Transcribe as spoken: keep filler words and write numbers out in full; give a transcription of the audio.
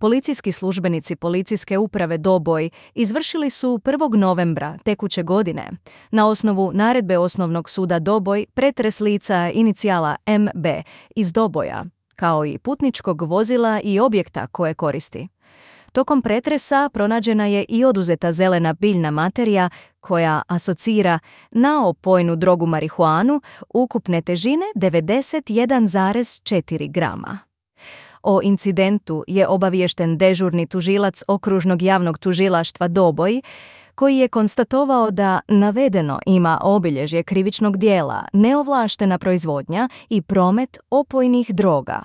Policijski službenici policijske uprave Doboj izvršili su prvog novembra tekuće godine na osnovu naredbe Osnovnog suda Doboj pretres lica inicijala M B iz Doboja, kao i putničkog vozila i objekta koje koristi. Tokom pretresa pronađena je i oduzeta zelena biljna materija koja asocira na opojnu drogu marihuanu ukupne težine devedeset jedan zarez četiri grama. O incidentu je obaviješten dežurni tužilac Okružnog javnog tužilaštva Doboj, koji je konstatovao da navedeno ima obilježje krivičnog dijela neovlaštena proizvodnja i promet opojnih droga,